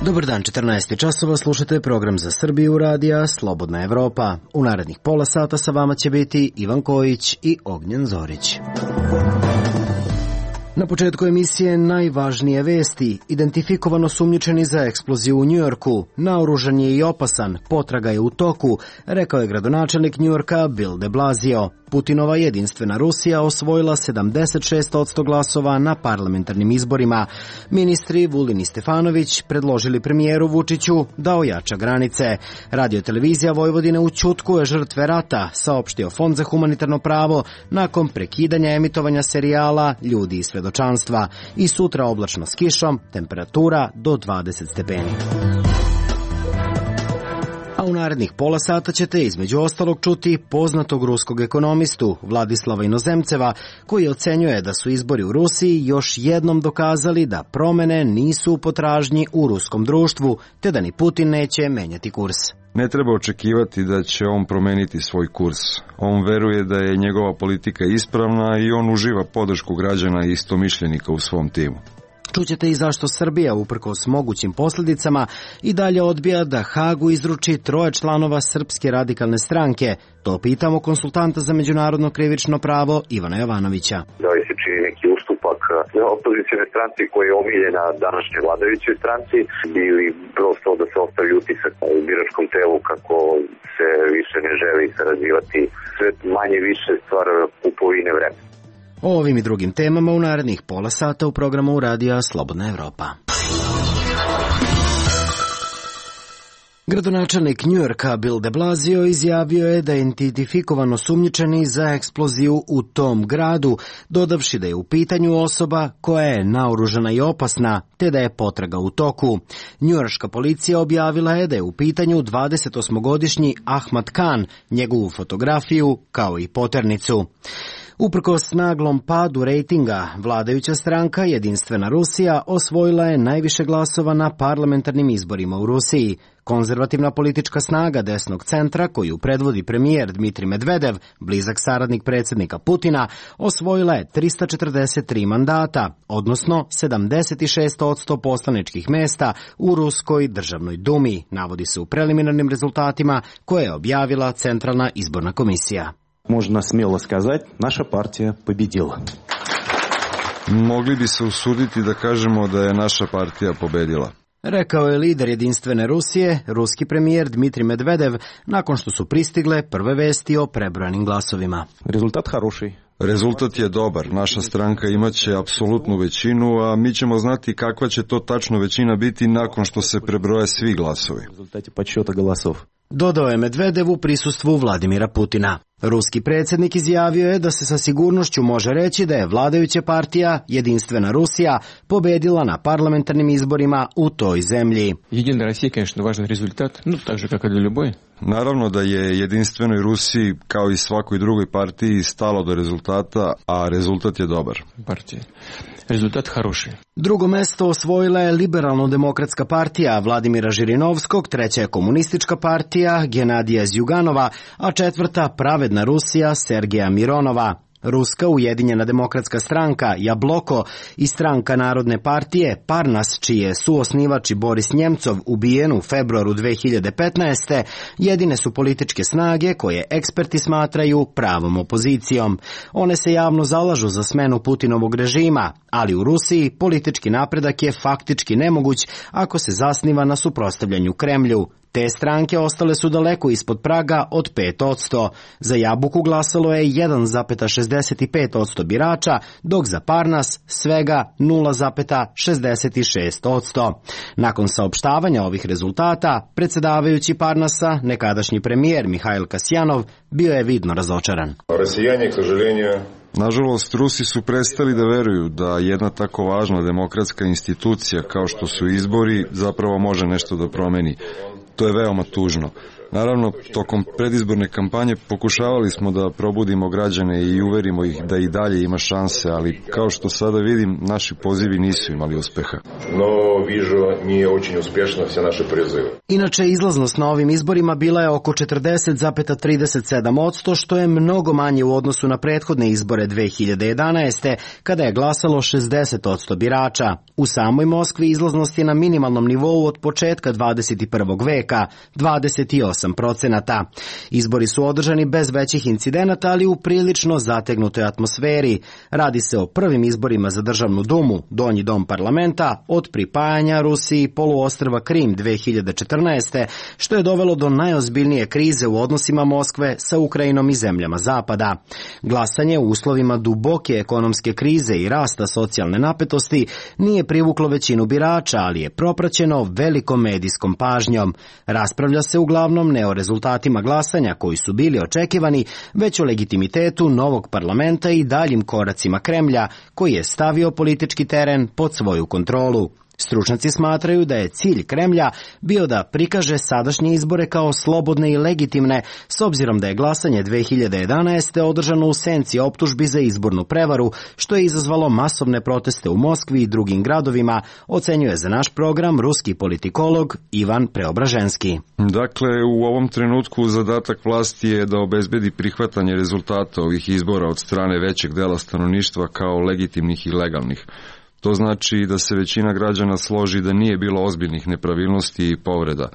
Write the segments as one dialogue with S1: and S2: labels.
S1: Dobar dan, 14 časova, slušate program za Srbiju radija Slobodna Evropa. U narednih pola sata sa vama će biti Ivan Kojić i Ognjen Zorić. Na početku emisije najvažnije vesti. Identifikovano osumnjičeni za eksploziju u Njujorku. Naoružan je i opasan, potraga je u toku, rekao je gradonačelnik Njujorka Bill de Blasio. Putinova jedinstvena Rusija osvojila 76% glasova na parlamentarnim izborima. Ministri Vulin i Stefanović predložili premijeru Vučiću da ojača granice. Radio-televizija Vojvodine ućutkuje žrtve rata, saopštio Fond za humanitarno pravo nakon prekidanja emitovanja serijala Ljudi iz svedočanstva. I sutra oblačno s kišom, temperatura do 20 stepeni. A u narednih pola sata ćete između ostalog čuti poznatog ruskog ekonomistu Vladislava Inozemceva, koji ocenjuje da su izbori u Rusiji još jednom dokazali da promene nisu u potražnji u ruskom društvu, te da ni Putin neće menjati kurs.
S2: Ne treba očekivati da će on promeniti svoj kurs. On veruje da je njegova politika ispravna i on uživa podršku građana i istomišljenika u svom timu.
S1: Čućete i zašto Srbija, uprkos mogućim posljedicama, i dalje odbija da Hagu izruči 3 članova Srpske radikalne stranke. To pitamo konsultanta za međunarodno krivično pravo Ivana Jovanovića.
S3: Da li se čini neki ustupak opozicijone stranci koja je omiljena današnjoj vladajućoj stranci ili prosto da se ostavi utisak u biračkom telu kako se više ne želi sarađivati. Sve manje više stvar kupovine vremena.
S1: O ovim i drugim temama u narednih pola sata u programu Radija Slobodna Evropa. Gradonačelnik Njujorka Bill de Blasio izjavio je da je identifikovan osumnjičeni za eksploziju u tom gradu, dodavši da je u pitanju osoba koja je naoružana i opasna, te da je potraga u toku. Njujorška policija objavila je da je u pitanju 28-godišnji Ahmad Khan, njegovu fotografiju kao i poternicu. Uprkos naglom padu rejtinga, vladajuća stranka Jedinstvena Rusija osvojila je najviše glasova na parlamentarnim izborima u Rusiji. Konzervativna politička snaga desnog centra, koju predvodi premijer Dmitrij Medvedev, blizak saradnik predsjednika Putina, osvojila je 343 mandata, odnosno 76% poslaničkih mesta u Ruskoj državnoj dumi, navodi se u preliminarnim rezultatima koje je objavila Centralna izborna komisija.
S4: Можно смело сказать, наша партия победила.
S2: Mogli bi se usuditi da kažemo da je naša partija pobedila.
S1: Rekao je lider Jedinstvene Rusije, ruski premijer Dmitrij Medvedev, nakon što su pristigle prve vesti o prebrojanim glasovima.
S4: Rezultat хороший.
S2: Rezultat je dobar. Naša stranka imaće apsolutnu većinu, a mi ćemo znati kakva će to tačno većina biti nakon što se prebroje svi glasovi.
S4: Rezultati подсчета голосов.
S1: Dodao je Medvedev u prisustvu Vladimira Putina. Ruski predsjednik izjavio je da se sa sigurnošću može reći da je vladajuća partija Jedinstvena Rusija pobedila na parlamentarnim izborima u toj zemlji.
S5: Единая Россия, конечно, важный результат, так же, как и для любой.
S2: Naravno da je Jedinstvenoj Rusiji, kao i svakoj drugoj partiji, stalo do rezultata, a rezultat je dobar.
S5: Partija. Rezultat хороший.
S1: Drugo mesto osvojila je Liberalno-demokratska partija Vladimira Žirinovskog, treća je Komunistička partija Genadija Zjuganova, a četvrta Pravedna Rusija Sergeja Mironova. Ruska ujedinjena demokratska stranka Jabloko i stranka Narodne partije Parnas, čiji je suosnivač Boris Njemcov ubijen u februaru 2015. jedine su političke snage koje eksperti smatraju pravom opozicijom. One se javno zalažu za smenu Putinovog režima, ali u Rusiji politički napredak je faktički nemoguć ako se zasniva na suprotstavljanju Kremlju. Te stranke ostale su daleko ispod praga od 5%. Za Jabuku glasalo je 1,65% birača, dok za Parnas svega 0,66%. Nakon saopštavanja ovih rezultata, predsjedavajući Parnasa, nekadašnji premijer Mihajl Kasjanov, bio je vidno razočaran.
S2: Nažalost, Rusi su prestali da veruju da jedna tako važna demokratska institucija kao što su izbori zapravo može nešto da promeni. To je veoma tužno. Naravno, tokom predizborne kampanje pokušavali smo da probudimo građane i uverimo ih da i dalje ima šanse, ali kao što sada vidim, naši pozivi nisu imali uspeha.
S6: No, vižu, nije очень uspješno sve naše prizive.
S1: Inače, izlaznost na ovim izborima bila je oko 40,37%, što je mnogo manje u odnosu na prethodne izbore 2011. kada je glasalo 60% birača. U samoj Moskvi izlaznost je na minimalnom nivou od početka 21. veka, 28%. Izbori su održani bez većih incidenata, ali u prilično zategnutoj atmosferi. Radi se o prvim izborima za državnu dumu, donji dom parlamenta, od pripajanja Rusiji poluostrva Krim 2014. što je dovelo do najozbiljnije krize u odnosima Moskve sa Ukrajinom i zemljama Zapada. Glasanje u uslovima duboke ekonomske krize i rasta socijalne napetosti nije privuklo većinu birača, ali je propraćeno velikom medijskom pažnjom. Raspravlja se uglavnom ne o rezultatima glasanja koji su bili očekivani, već o legitimitetu novog parlamenta i daljim koracima Kremlja, koji je stavio politički teren pod svoju kontrolu. Stručnjaci smatraju da je cilj Kremlja bio da prikaže sadašnje izbore kao slobodne i legitimne, s obzirom da je glasanje 2011. održano u senci optužbi za izbornu prevaru, što je izazvalo masovne proteste u Moskvi i drugim gradovima, ocenjuje za naš program ruski politikolog Ivan Preobraženski.
S2: Dakle, u ovom trenutku zadatak vlasti je da obezbedi prihvatanje rezultata ovih izbora od strane većeg dela stanovništva kao legitimnih i legalnih. To znači da se većina građana složi da nije bilo ozbiljnih nepravilnosti i povreda.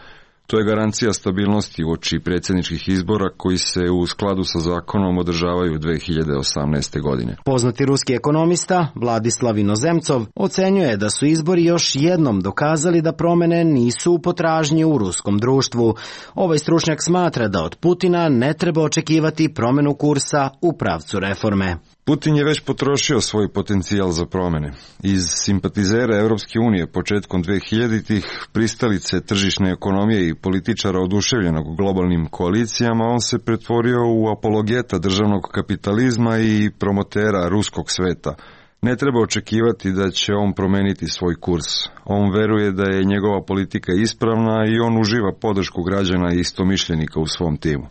S2: To je garancija stabilnosti uoči predsjedničkih izbora koji se u skladu sa zakonom održavaju 2018. godine.
S1: Poznati ruski ekonomista Vladislav Inozemcov ocenjuje da su izbori još jednom dokazali da promjene nisu u potražnji u ruskom društvu. Ovaj stručnjak smatra da od Putina ne treba očekivati promjenu kursa u pravcu reforme.
S2: Putin je već potrošio svoj potencijal za promjene. Iz simpatizera Europske unije početkom 2000-ih, pristalice tržišne ekonomije i političara oduševljenog globalnim koalicijama, on se pretvorio u apologeta državnog kapitalizma i promotera ruskog sveta. Ne treba očekivati da će on promeniti svoj kurs. On veruje da je njegova politika ispravna i on uživa podršku građana i istomišljenika u svom timu.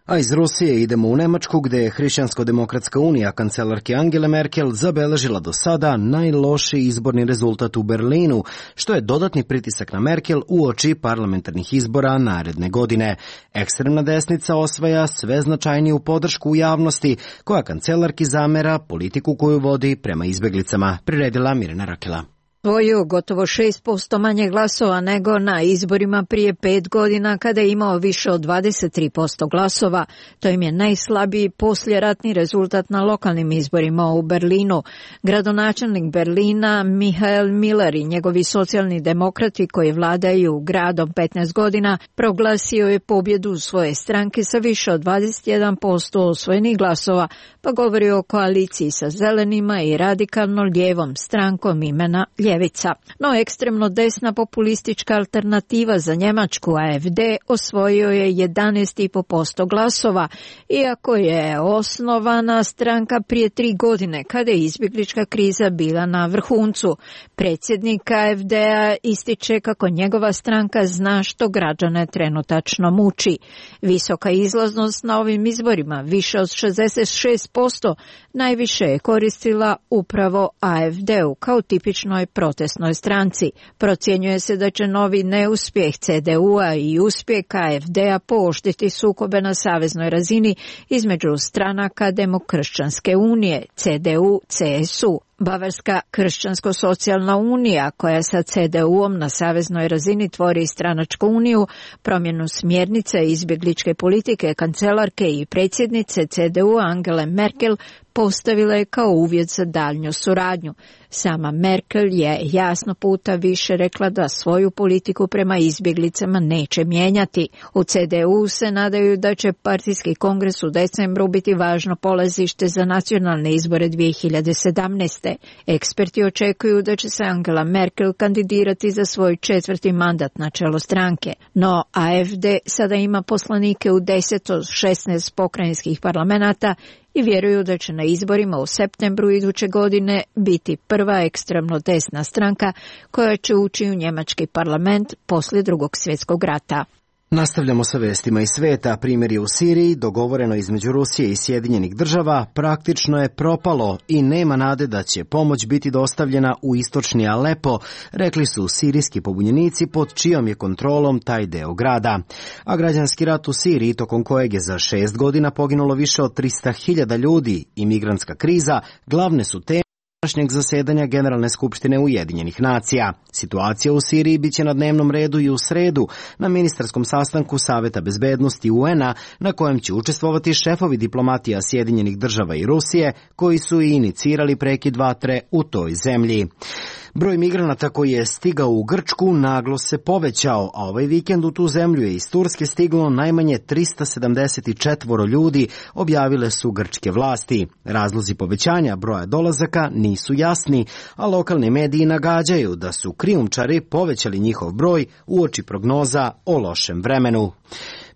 S1: A iz Rusije idemo u Nemačku, gde je Hrišćansko-demokratska unija kancelarke Angele Merkel zabeležila do sada najlošiji izborni rezultat u Berlinu, što je dodatni pritisak na Merkel uoči parlamentarnih izbora naredne godine. Ekstremna desnica osvaja sve značajniju podršku u javnosti, koja kancelarki zamera politiku koju vodi prema izbeglicama, priredila Mirjana Rakela.
S7: Svoju gotovo 6% manje glasova nego na izborima prije 5 godina kada je imao više od 23% glasova. To im je najslabiji posljeratni rezultat na lokalnim izborima u Berlinu. Gradonačelnik Berlina Michael Miller i njegovi socijalni demokrati koji vladaju gradom 15 godina proglasio je pobjedu svoje stranke sa više od 21% osvojenih glasova, pa govori o koaliciji sa zelenima i radikalno lijevom strankom imena ljevica. No ekstremno desna populistička alternativa za Njemačku AFD osvojio je 11,5% glasova, iako je osnovana stranka prije 3 godine kada je izbjeglička kriza bila na vrhuncu. Predsjednik AFD-a ističe kako njegova stranka zna što građane trenutačno muči. Visoka izlaznost na ovim izborima, više od 66%, najviše je koristila upravo AFD-u kao tipičnoj protestnoj stranci. Procjenjuje se da će novi neuspjeh CDU-a i uspjeh AFD-a pooštriti sukobe na saveznoj razini između stranaka Demokršćanske unije, CDU-CSU. Bavarska kršćansko-socijalna unija, koja sa CDU-om na saveznoj razini tvori stranačku uniju, promjenu smjernice izbjegličke politike kancelarke i predsjednice CDU Angele Merkel postavila je kao uvjet za daljnju suradnju. Sama Merkel je jasno puta više rekla da svoju politiku prema izbjeglicama neće mijenjati. U CDU se nadaju da će partijski kongres u decembru biti važno polazište za nacionalne izbore 2017. Eksperti očekuju da će se Angela Merkel kandidirati za svoj 4. mandat na čelo stranke. No AFD sada ima poslanike u 10 od 16 pokrajinskih parlamenata i vjeruju da će na izborima u septembru iduće godine biti prva ekstremno desna stranka koja će ući u njemački parlament poslije Drugog svjetskog rata.
S1: Nastavljamo sa vestima iz sveta. Primirje u Siriji, dogovoreno između Rusije i Sjedinjenih država, praktično je propalo i nema nade da će pomoć biti dostavljena u istočni Alepo, rekli su sirijski pobunjenici pod čijom je kontrolom taj deo grada. A građanski rat u Siriji, tokom kojeg je za 6 godina poginulo više od 300.000 ljudi, i migrantska kriza glavne su teme današnjeg zasedanja Generalne skupštine Ujedinjenih nacija. Situacija u Siriji biće na dnevnom redu i u sredu na ministarskom sastanku Saveta bezbednosti UN-a, na kojem će učestvovati šefovi diplomatija Sjedinjenih država i Rusije, koji su i inicirali prekid vatre u toj zemlji. Broj migranata koji je stigao u Grčku naglo se povećao, a ovaj vikend u tu zemlju je iz Turske stiglo najmanje 374 ljudi, objavile su grčke vlasti. Razlozi povećanja broja dolazaka nisu jasni, a lokalni mediji nagađaju da su krijumčari povećali njihov broj uoči prognoza o lošem vremenu.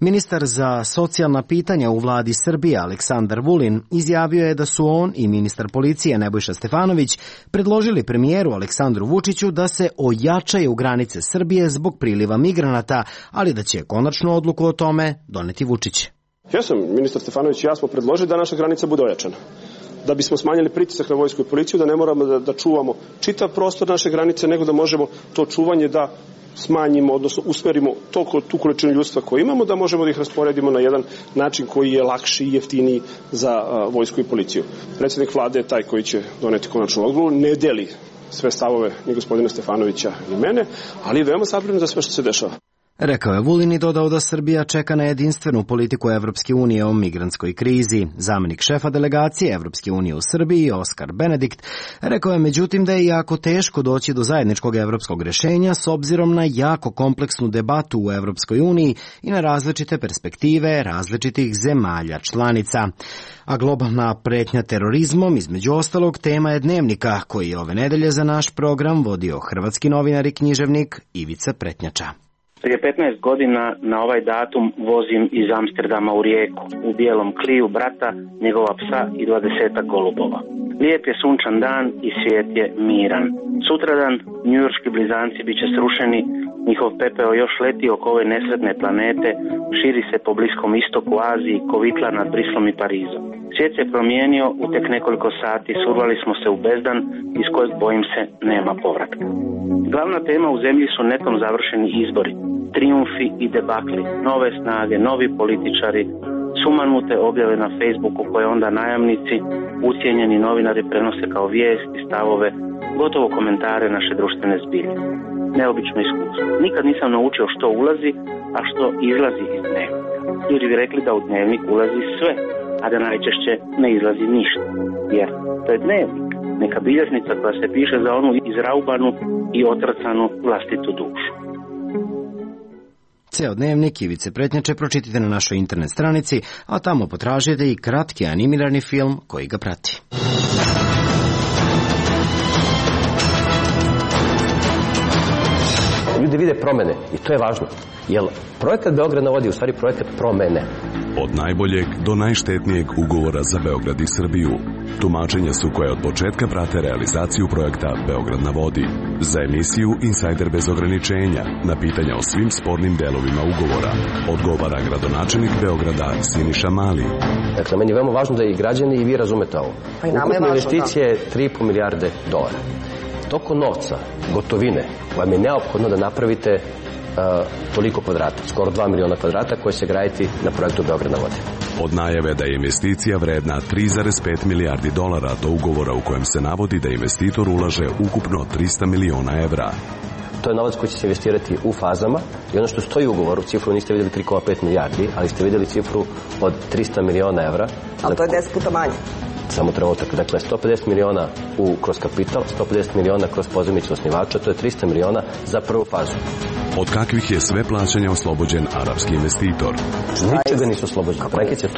S1: Ministar za socijalna pitanja u vladi Srbije Aleksandar Vulin izjavio je da su on i ministar policije Nebojša Stefanović predložili premijeru Aleksandru Vučiću da se ojačaju granice Srbije zbog priliva migranata, ali da će konačnu odluku o tome doneti Vučić.
S8: Ja sam, ministar Stefanović i ja smo predložili da naša granica bude ojačana. Da bismo smanjili pritisak na vojsku i policiju, da ne moramo da čuvamo čitav prostor naše granice, nego da možemo to čuvanje da smanjimo, odnosno usmerimo tu količinu ljudstva koju imamo, da možemo da ih rasporedimo na jedan način koji je lakši i jeftiniji za vojsku i policiju. Predsjednik vlade je taj koji će doneti konačnu odluku, ne deli sve stavove ni gospodina Stefanovića ni mene, ali je veoma zabrinut za sve što se dešava.
S1: Rekao je Vulin i dodao da Srbija čeka na jedinstvenu politiku Evropske unije o migrantskoj krizi. Zamenik šefa delegacije Evropske unije u Srbiji, Oskar Benedikt, rekao je međutim da je jako teško doći do zajedničkog evropskog rješenja s obzirom na jako kompleksnu debatu u Evropskoj uniji i na različite perspektive različitih zemalja članica. A globalna pretnja terorizmom, između ostalog, tema je Dnevnika, koji je ove nedelje za naš program vodio hrvatski novinar i književnik Ivica Pretnjača.
S9: Prije 15 godina na ovaj datum vozim iz Amsterdama u Rijeku, u bijelom Cliu brata, njegova psa i 20 golubova. Lijep je sunčan dan i svijet je miran. Sutradan njujorški blizanci bit će srušeni, njihov pepeo još leti oko ove nesretne planete, širi se po Bliskom istoku, Aziji, kovitla nad Brislom i Parizom. Svijet se promijenio, u tek nekoliko sati survali smo se u bezdan iz kojeg, bojim se, nema povratka. Glavna tema u zemlji su netom završeni izbori, trijumfi i debakli, nove snage, novi političari, sumanute objave na Facebooku koje onda najamnici, ucijenjeni novinari prenose kao vijesti, stavove, gotovo komentare naše društvene zbilje. Neobično iskustvo. Nikad nisam naučio što ulazi, a što izlazi iz dnevnika. Ljudi bi rekli da u dnevnik ulazi sve, a da najčešće ne izlazi ništa. Jer to je dnevnik, neka bilježnica koja se piše za onu izraubanu i otrcanu vlastitu dušu.
S1: Ceo dnevnik Ivice Pretnjače pročitajte na našoj internet stranici, a tamo potražite i kratki animirani film koji ga prati.
S10: Ljudi vide promene i to je važno, jer projekat Beograd na vodi je u stvari projekat promene.
S11: Od najboljeg do najštetnijeg ugovora za Beograd i Srbiju. Tumačenja su koje od početka prate realizaciju projekta Beograd na vodi. Za emisiju Insajder bez ograničenja na pitanja o svim spornim delovima ugovora odgovara gradonačelnik Beograda Siniša Mali.
S10: Dakle, meni je veoma važno da i građani i vi razumete ovo. Ukupna investicija je 3,5 milijarde dolara. Toko novca, gotovine, vam je neophodno da napravite toliko kvadrata, skoro 2 miliona kvadrata koje će graditi na projektu Beograd na vodi.
S11: Od najave da je investicija vredna 3,5 milijardi dolara do ugovora u kojem se navodi da investitor ulaže ukupno 300 miliona evra.
S10: To je novac koji će se investirati u fazama i ono što stoji u ugovoru, cifru niste vidjeli 3,5 milijardi, ali ste vidjeli cifru od 300 miliona evra.
S12: Ali to je 10 puta manje.
S10: Samo trenutak. Dakle, 150 miliona kroz kapital, 150 miliona kroz pozajmicu osnivača, to je 300 miliona za prvu fazu.
S11: Od kakvih je sve plaćanja oslobođen arapski investitor?
S10: Ničega nisu oslobođeni. Prekice,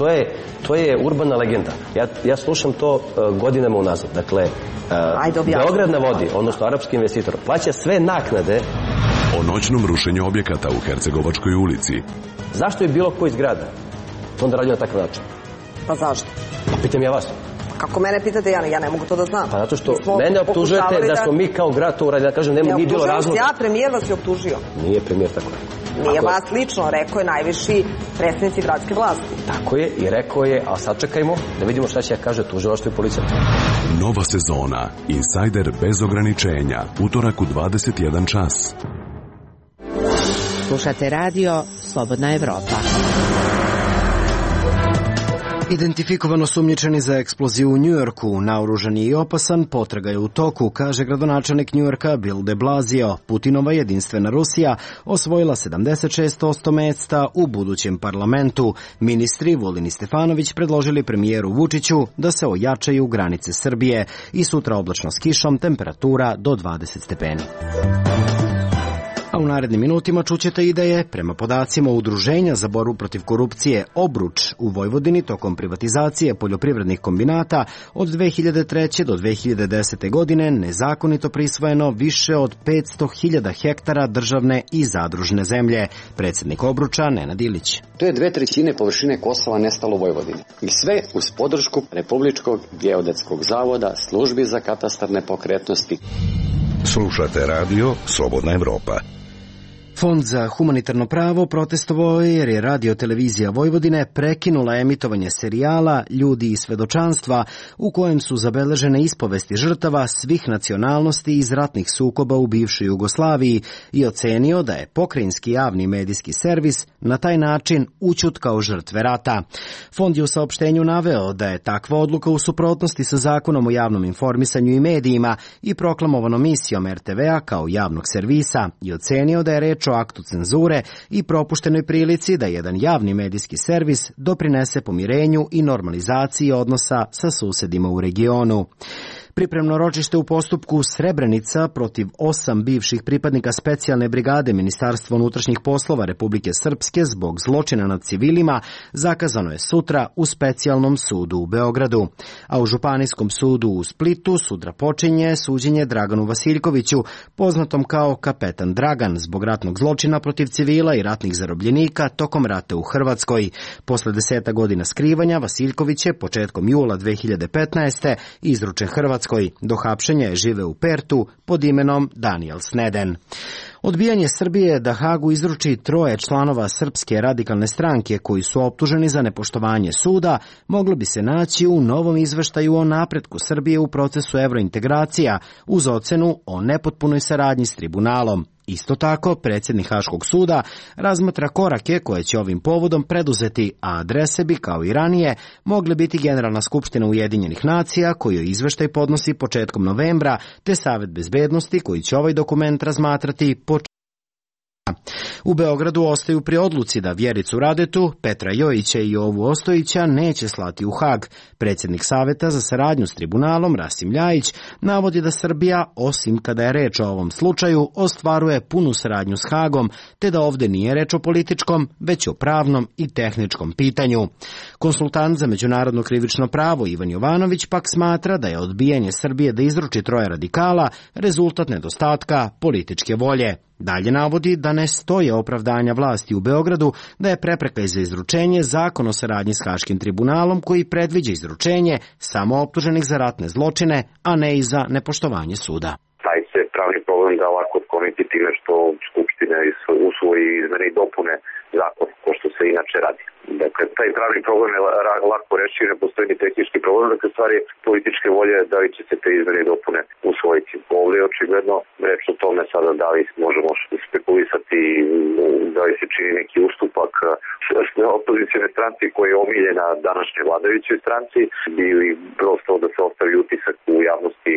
S10: to je urbana legenda. Ja slušam to godinama unazad. Dakle, Beograd na vodi, odnosno arapski investitor, plaća sve naknade.
S11: O noćnom rušenju objekata u Hercegovačkoj ulici.
S10: Zašto je bilo ko iz grada onda radio na takav način?
S12: Pa zašto?
S10: Pa pitam ja vas.
S12: Kako mene pitate, ja ne mogu to da znam.
S10: Pa zato što mene optužujete da smo mi kao grad to uradili. Ja kažem, nije bilo razloga.
S12: Ja, premijer vas je optužio.
S10: Nije premijer tako.
S12: Nije vas lično, rekao je najviši predstavnici gradske vlasti.
S10: Tako je i rekao je, a sad čekajmo da vidimo šta će kaže tužilaštvo i policija.
S11: Nova sezona Insider bez ograničenja, utorak u 21 čas.
S13: Slušate radio Slobodna Evropa.
S1: Identifikovano sumnjičeni za eksploziju u Njujorku, naoružan je i opasan, potraga je u toku, kaže gradonačelnik Njujorka Bill de Blasio. Putinova jedinstvena Rusija osvojila 76% mesta u budućem parlamentu. Ministri Vulin i Stefanović predložili premijeru Vučiću da se ojačaju granice Srbije i sutra oblačno s kišom, temperatura do 20 stepeni. A u narednim minutima čućete i da je, prema podacima Udruženja za borbu protiv korupcije Obruč u Vojvodini tokom privatizacije poljoprivrednih kombinata od 2003. do 2010. godine nezakonito prisvojeno više od 500.000 hektara državne i zadružne zemlje. Predsjednik Obruča Nenad Ilić.
S14: To je 2/3 površine Kosova nestalo u Vojvodini. I sve uz podršku Republičkog geodetskog zavoda, službi za katastar nepokretnosti.
S15: Slušate radio Slobodna Evropa.
S1: Fond za humanitarno pravo protestovao je jer je Radio televizija Vojvodine prekinula emitovanje serijala Ljudi i svedočanstva u kojem su zabeležene ispovesti žrtava svih nacionalnosti iz ratnih sukoba u bivšoj Jugoslaviji i ocenio da je pokrajinski javni medijski servis na taj način ućutkao žrtve rata. Fond je u saopštenju naveo da je takva odluka u suprotnosti sa Zakonom o javnom informisanju i medijima i proklamovanom misijom RTV-a kao javnog servisa i ocenio da je reč o aktu cenzure i propuštenoj prilici da jedan javni medijski servis doprinese pomirenju i normalizaciji odnosa sa susedima u regionu. Pripremno ročište u postupku Srebrenica protiv 8 bivših pripadnika specijalne brigade Ministarstva unutrašnjih poslova Republike Srpske zbog zločina nad civilima zakazano je sutra u specijalnom sudu u Beogradu. A u Županijskom sudu u Splitu sutra počinje suđenje Draganu Vasiljkoviću, poznatom kao Kapetan Dragan, zbog ratnog zločina protiv civila i ratnih zarobljenika tokom rata u Hrvatskoj. Posle 10 godina skrivanja, Vasiljković je početkom jula 2015. izručen Hrvatskoj. Do hapšenja je žive u Pertu pod imenom Daniel Sneden. Odbijanje Srbije da Hagu izruči 3 članova Srpske radikalne stranke koji su optuženi za nepoštovanje suda moglo bi se naći u novom izveštaju o napretku Srbije u procesu evrointegracija uz ocenu o nepotpunoj saradnji s tribunalom. Isto tako, predsjednik Haškog suda razmatra korake koje će ovim povodom preduzeti, a adrese bi, kao i ranije, mogle biti Generalna skupština Ujedinjenih nacija, koju izveštaj podnosi početkom novembra, te Savet bezbednosti, koji će ovaj dokument razmatrati U Beogradu ostaju pri odluci da Vjericu Radetu, Petra Jojića i Jovu Ostojića neće slati u Hag. Predsjednik Saveta za saradnju s tribunalom, Rasim Ljajić, navodi da Srbija, osim kada je reč o ovom slučaju, ostvaruje punu saradnju s Hagom, te da ovdje nije reč o političkom, već o pravnom i tehničkom pitanju. Konsultant za međunarodno krivično pravo Ivan Jovanović pak smatra da je odbijanje Srbije da izruči 3 radikala rezultat nedostatka političke volje. Dalje navodi da ne stoje opravdanja vlasti u Beogradu da je prepreka za izručenje zakon o saradnji s Haškim tribunalom koji predviđa izručenje samo optuženih za ratne zločine, a ne i za nepoštovanje suda.
S3: Taj se pravni problem da lako otkloniti time što Skupština usvoji izmene i dopune zakona, ko što se inače radi. Dakle, taj pravni problem je lako reći, ne postoji ni tehnički problem, dakle stvari političke volje da li će se te izmene i dopune usvojiti. Ovdje je očigledno reč o tome sada da li možemo spekulisati, da li se čini neki ustupak opozicijne stranci koja je omiljena današnje vladajućoj stranci ili prosto da se ostavi utisak u javnosti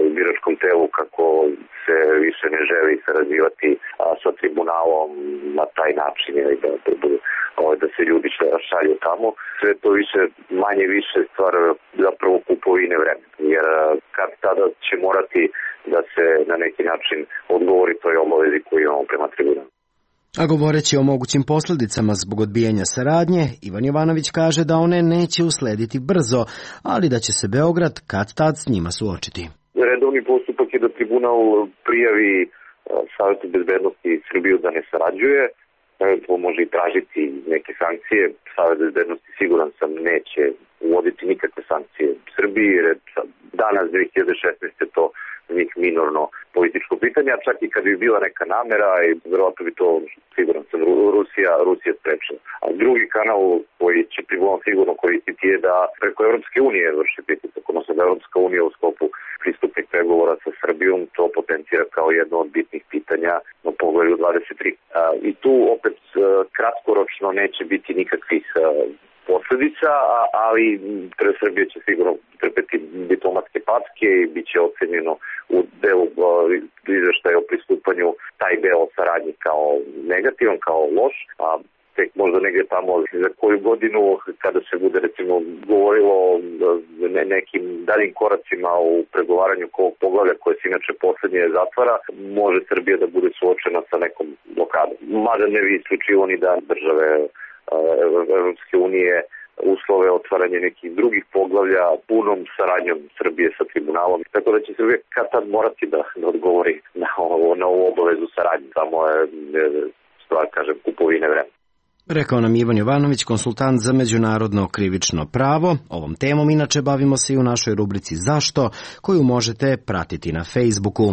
S3: u biračkom telu kako se više ne želi sarađivati sa tribunalom na taj način ili da se ljudi šalju tamo. Sve to više, manje više stvar zapravo kupovine vremena, jer kad tada će morati da se na neki način odgovori toj obavezi koju imamo prema tribunalu.
S1: A govoreći o mogućim posljedicama zbog odbijanja saradnje, Ivan Jovanović kaže da one neće uslediti brzo, ali da će se Beograd kad-tad s njima suočiti.
S3: Redovni postupak je da tribunal prijavi Savetu bezbednosti Srbiju da ne sarađuje, to može i tražiti neke sankcije. Savet bezbednosti, siguran sam, neće uvoditi nikakve sankcije Srbiji, jer danas 2016. to njih minorno političko pitanje, a čak i kad bi bila neka namera i verovatno bi to, siguran sam, Rusija sprečila. A drugi kanal koji će sigurno koristiti je da preko Evropske unije vrši pritisak, odnosno da Evropska unija u sklopu pristupnih pregovora sa Srbijom to potencira kao jedno od bitnih pitanja na Poglavlju 23. I tu opet kratkoročno neće biti nikakvih posledica, ali Srbija će sigurno trpeti diplomatske packe i bit će ocenjeno u delu izveštaja o pristupanju taj deo saradnji kao negativan, kao loš, a tek možda negdje tamo za koju godinu kada se bude recimo govorilo o nekim daljim koracima u pregovaranju ovog poglavlja koje se inače poslednje zatvara, može Srbija da bude suočena sa nekom blokadom. Mada ne bi isključivo ni da države Evropske unije uslove otvaranje nekih drugih poglavlja punom saradnjom Srbije sa tribunalom. Tako da će Srbija kad tad morati da odgovori na ovu obavezu saradnje. Samo je stvar, kažem, kupovine vremena.
S1: Rekao nam Ivan Jovanović, konsultant za međunarodno krivično pravo. Ovom temom inače bavimo se i u našoj rubrici Zašto, koju možete pratiti na Facebooku.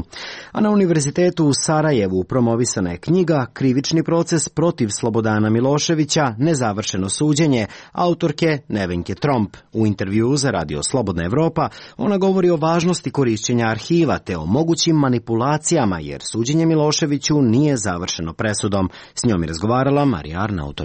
S1: A na Univerzitetu u Sarajevu promovisana je knjiga Krivični proces protiv Slobodana Miloševića, nezavršeno suđenje, autorke Nevenke Tromp. U intervjuu za Radio Slobodna Evropa ona govori o važnosti korišćenja arhiva te o mogućim manipulacijama, jer suđenje Miloševiću nije završeno presudom. S njom je razgovarala Marija Arnautović.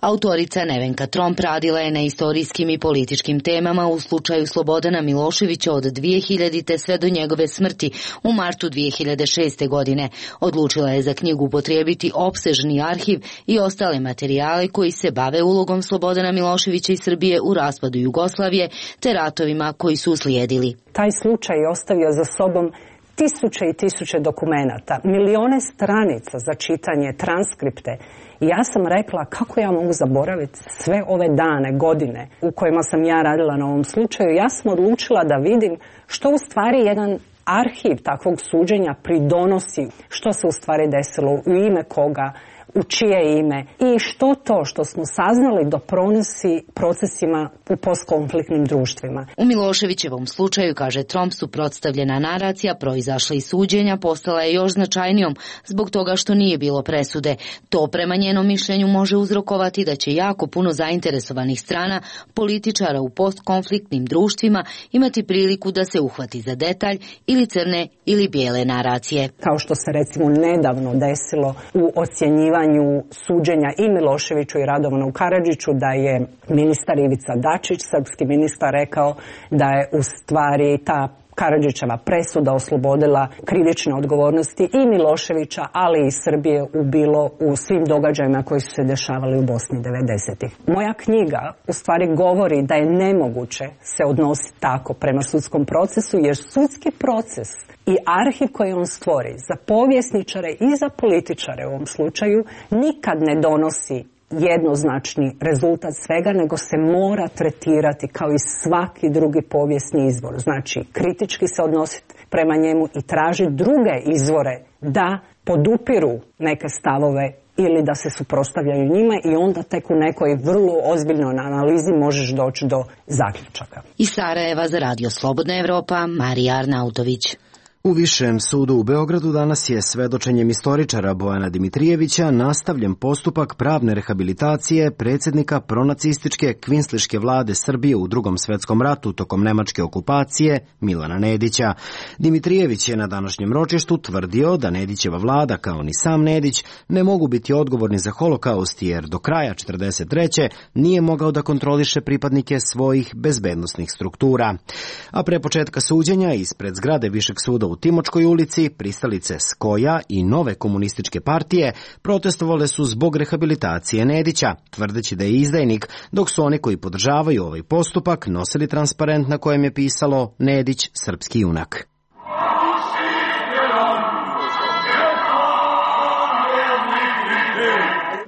S16: Autorica Nevenka Tromp radila je na istorijskim i političkim temama u slučaju Slobodana Miloševića od 2000. sve do njegove smrti u martu 2006. godine. Odlučila je za knjigu upotrijebiti opsežni arhiv i ostale materijale koji se bave ulogom Slobodana Miloševića i Srbije u raspadu Jugoslavije te ratovima koji su uslijedili.
S17: Taj slučaj je ostavio za sobom tisuće i tisuće dokumenata, milione stranica za čitanje, transkripte. I ja sam rekla kako ja mogu zaboraviti sve ove dane, godine u kojima sam ja radila na ovom slučaju. Ja sam odlučila da vidim što u stvari jedan arhiv takvog suđenja pridonosi, što se u stvari desilo, u ime koga, u čije ime i što to što smo saznali doprinosi procesima u postkonfliktnim društvima.
S16: U Miloševićevom slučaju, kaže Tromp, suprotstavljena naracija proizašla iz suđenja postala je još značajnijom zbog toga što nije bilo presude. To prema njenom mišljenju može uzrokovati da će jako puno zainteresovanih strana, političara u postkonfliktnim društvima imati priliku da se uhvati za detalj ili crne ili bijele naracije.
S17: Kao što se recimo nedavno desilo u ocjenjivanju suđenja i Miloševiću i Radovanu Karadžiću, da je ministar Ivica Dačić, srpski ministar, rekao da je u stvari ta Karadžićeva presuda oslobodila krivične odgovornosti i Miloševića, ali i Srbije u svim događajima koji su se dešavali u Bosni 90-ih. Moja knjiga u stvari govori da je nemoguće se odnositi tako prema sudskom procesu, jer sudski proces i arhiv koji on stvori za povjesničare i za političare u ovom slučaju nikad ne donosi jednoznačni rezultat svega, nego se mora tretirati kao i svaki drugi povijesni izvor. Znači, kritički se odnositi prema njemu i tražiti druge izvore da podupiru neke stavove ili da se suprotstavljaju njima i onda tek u nekoj vrlo ozbiljnoj analizi možeš doći do zaključaka.
S16: Iz Sarajeva za Radio Slobodna Evropa, Marija Arnautović.
S1: U Višem sudu u Beogradu danas je svedočenjem istoričara Bojana Dimitrijevića nastavljen postupak pravne rehabilitacije predsjednika pronacističke kvinsliške vlade Srbije u Drugom svjetskom ratu tokom nemačke okupacije Milana Nedića. Dimitrijević je na današnjem ročištu tvrdio da Nedićeva vlada, kao ni sam Nedić, ne mogu biti odgovorni za holokaust jer do kraja 1943. nije mogao da kontroliše pripadnike svojih bezbednosnih struktura. A pre početka suđenja ispred zgrade Višeg suda u Timočkoj ulici, pristalice Skoja i Nove komunističke partije protestovale su zbog rehabilitacije Nedića, tvrdeći da je izdajnik, dok su oni koji podržavaju ovaj postupak nosili transparent na kojem je pisalo Nedić, srpski junak.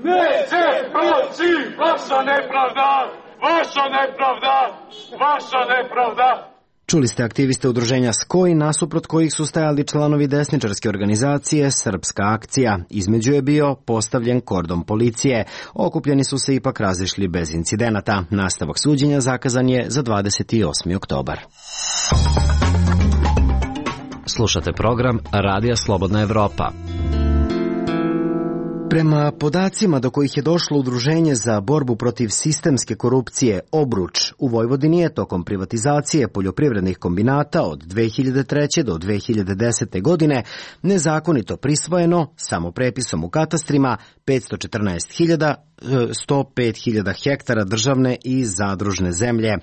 S18: Neće proći vaša nepravda, vaša nepravda, vaša nepravda.
S1: Čuli ste aktiviste udruženja Skoj, nasuprot kojih su stajali članovi desničarske organizacije Srpska akcija. Između je bio postavljen kordon policije. Okupljeni su se ipak razišli bez incidenata. Nastavak suđenja zakazan je za 28. oktobar. Slušate program Radija Slobodna Evropa. Prema podacima do kojih je došlo Udruženje za borbu protiv sistemske korupcije Obruč, u Vojvodini je tokom privatizacije poljoprivrednih kombinata od 2003. do 2010. godine nezakonito prisvojeno, samo prepisom u katastrima, 105.000 hektara državne i zadružne zemlje.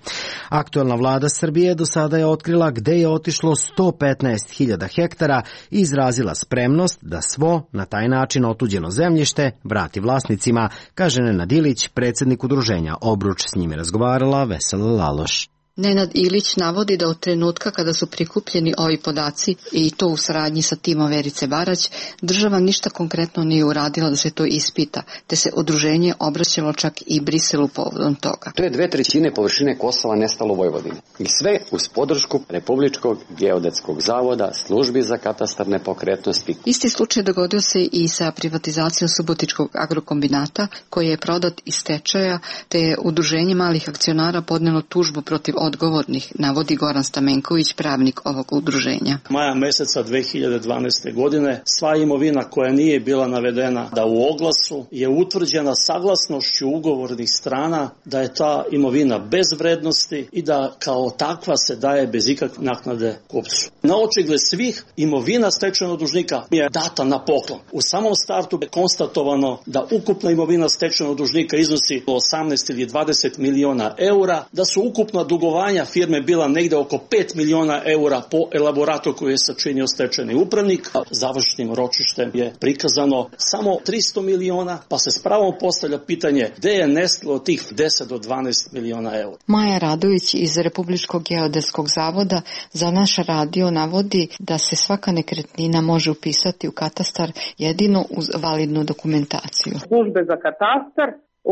S1: Aktuelna vlada Srbije do sada je otkrila gde je otišlo 115.000 hektara i izrazila spremnost da svo na taj način otuđeno zemljište vrati vlasnicima, kaže Nenad Ilić, predsjednik udruženja Obruč. S njim je razgovarala Vesela Laloš.
S19: Nenad Ilić navodi da od trenutka kada su prikupljeni ovi podaci i to u saradnji sa timom Verice Barać, država ništa konkretno nije uradila da se to ispita, te se udruženje obraćalo čak i Briselu povodom toga.
S14: To je 2/3 površine Kosova nestalo u Vojvodini. I sve uz podršku Republičkog geodetskog zavoda, službi za katastar nepokretnosti.
S19: Isti slučaj dogodio se i sa privatizacijom Subotičkog agrokombinata, koji je prodat iz stečaja, te je udruženje malih akcionara podnelo tužbu protiv odgovornih, navodi Goran Stamenković, pravnik ovog udruženja.
S20: Maja meseca 2012. godine sva imovina koja nije bila navedena da u oglasu je utvrđena saglasnošću ugovornih strana da je ta imovina bez vrednosti i da kao takva se daje bez ikakve naknade kupcu. Na očigled svih imovina stečajnog dužnika je data na poklon. U samom startu je konstatovano da ukupna imovina stečajnog dužnika iznosi 18 ili 20 miliona eura, da su ukupna dugovanja firme bila negde oko 5 miliona eura po elaboratu koji je sačinio stečajni upravnik. Završnim ročištem je prikazano samo 300 miliona, pa se s pravom postavlja pitanje gde je nestalo tih 10 do 12 miliona eura.
S19: Maja Radović iz Republičkog geodetskog zavoda za naš radio navodi da se svaka nekretnina može upisati u katastar jedino uz validnu dokumentaciju.
S21: Službe za katastar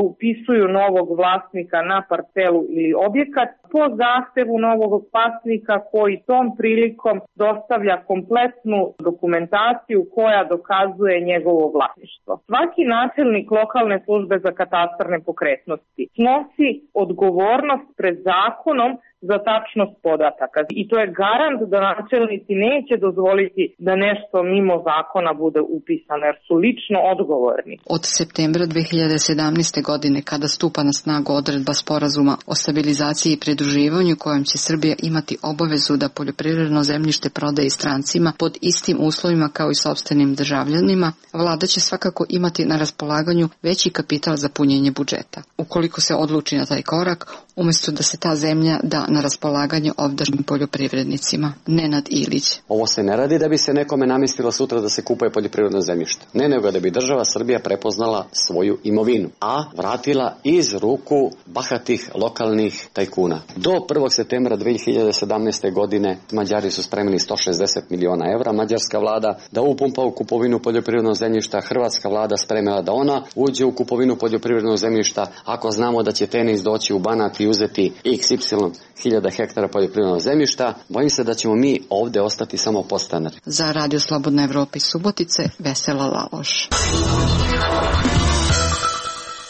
S21: upisuju novog vlasnika na parcelu ili objekat po zahtevu novog vlasnika koji tom prilikom dostavlja kompletnu dokumentaciju koja dokazuje njegovo vlasništvo. Svaki načelnik lokalne službe za katastar nepokretnosti snosi odgovornost pred zakonom za tačnost podataka. I to je garant da načelnici neće dozvoliti da nešto mimo zakona bude upisano, jer su lično odgovorni.
S19: Od septembra 2017. godine, kada stupa na snagu odredba sporazuma o stabilizaciji i pridruživanju kojom će Srbija imati obavezu da poljoprivredno zemljište prodaje strancima pod istim uslovima kao i sopstvenim državljanima, vlada će svakako imati na raspolaganju veći kapital za punjenje budžeta. Ukoliko se odluči na taj korak, umjesto da se ta zemlja da na raspolaganje ovdašnjim poljoprivrednicima. Nenad Ilić.
S14: Ovo se ne radi da bi se nekome namestilo sutra da se kupuje poljoprivredno zemljište. Ne, nego da bi država Srbija prepoznala svoju imovinu, a vratila iz ruku bahatih lokalnih tajkuna. Do 1. septembra 2017. godine Mađari su spremili 160 miliona evra. Mađarska vlada da upumpa u kupovinu poljoprivrednog zemljišta. Hrvatska vlada spremila da ona uđe u kupovinu poljoprivrednog zemljišta. Ako znamo da će Tenis doći u Banat i uzeti XY hiljada hektara poljoprivrednog zemljišta, bojim se da ćemo mi ovde ostati samo podstanari.
S19: Za Radio Slobodna Evropa iz Subotice, Vesela Laloš.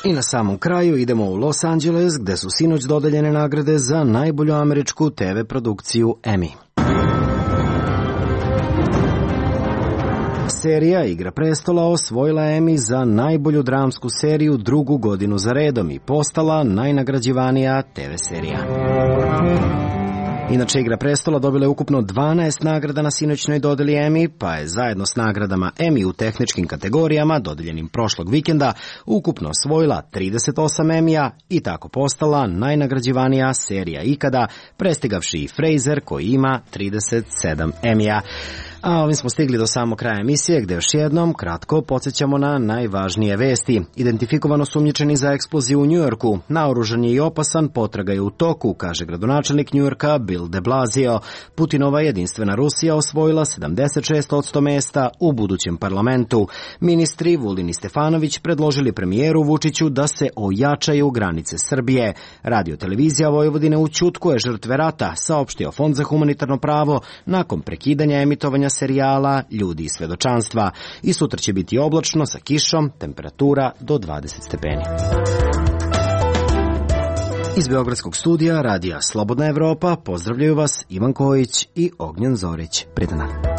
S1: I na samom kraju idemo u Los Angeles, gde su sinoć dodeljene nagrade za najbolju američku TV produkciju Emmy. Serija Igra prestola osvojila Emmy za najbolju dramsku seriju drugu godinu za redom i postala najnagrađivanija TV serija. Inače, Igra prestola dobila je ukupno 12 nagrada na sinoćnoj dodeli Emmy, pa je zajedno s nagradama Emmy u tehničkim kategorijama, dodeljenim prošlog vikenda, ukupno osvojila 38 Emmija i tako postala najnagrađivanija serija ikada, prestigavši i Frasier koji ima 37 Emmija. A ovim smo stigli do samog kraja emisije, gde još jednom kratko podsjećamo na najvažnije vesti. Identifikovano sumnjičeni za eksploziju u Njujorku. Naoružan je i opasan, potraga je u toku, kaže gradonačelnik Njujorka Bill de Blasio. Putinova jedinstvena Rusija osvojila 76% mesta u budućem parlamentu. Ministri Vulin i Stefanović predložili premijeru Vučiću da se ojačaju granice Srbije. Radio televizija Vojvodine u ćutku je žrtve rata, saopštio Fond za humanitarno pravo nakon prekidanja emitovanja serijala Ljudi i svedočanstva. I sutra će biti oblačno sa kišom, temperatura do 20 stepeni. Iz Beogradskog studija Radija Slobodna Evropa pozdravljaju vas Ivan Kojić i Ognjen Zorić. Prijatno.